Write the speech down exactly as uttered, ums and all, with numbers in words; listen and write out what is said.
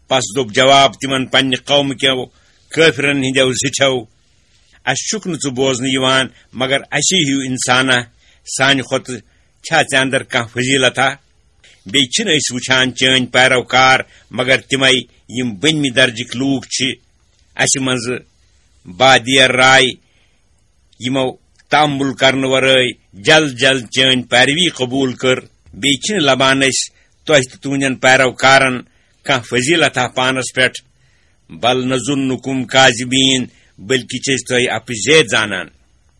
پس دوٚپ جواب تِمن پننہِ قومہٕ کیو کٲفرن ہٕنٛدیو زِٹھیو، "اسہِ چھُکھ نہٕ ژٕ بوزنہٕ یِوان مگر اسی ہیوٗ انسانہ، سانہِ کھۄتہٕ چھا ژےٚ اندر کانٛہہ فضیلتہ؟ بیٚیہِ چھِنہٕ أسۍ وٕچھان چٲنۍ پیروکار مگر تِمے یِم بٔنمہِ درجٕکۍ لوٗکھ چھِ، اسہِ منٛزٕ بادیر راے، یِمو تامل کرنہٕ ورٲے جلد جلد چٲنۍ پیروی قبول کٔر۔ بیٚیہِ چھِنہٕ لبان أسۍ تۄہہِ تہٕ تُہنٛدٮ۪ن پیروکارن کانٛہہ فضیلتہ پانس پٮ۪ٹھ۔ بل نظنکم کاذبین، بلکہِ چھِ أسۍ تۄہہِ اپٕزے زانان۔"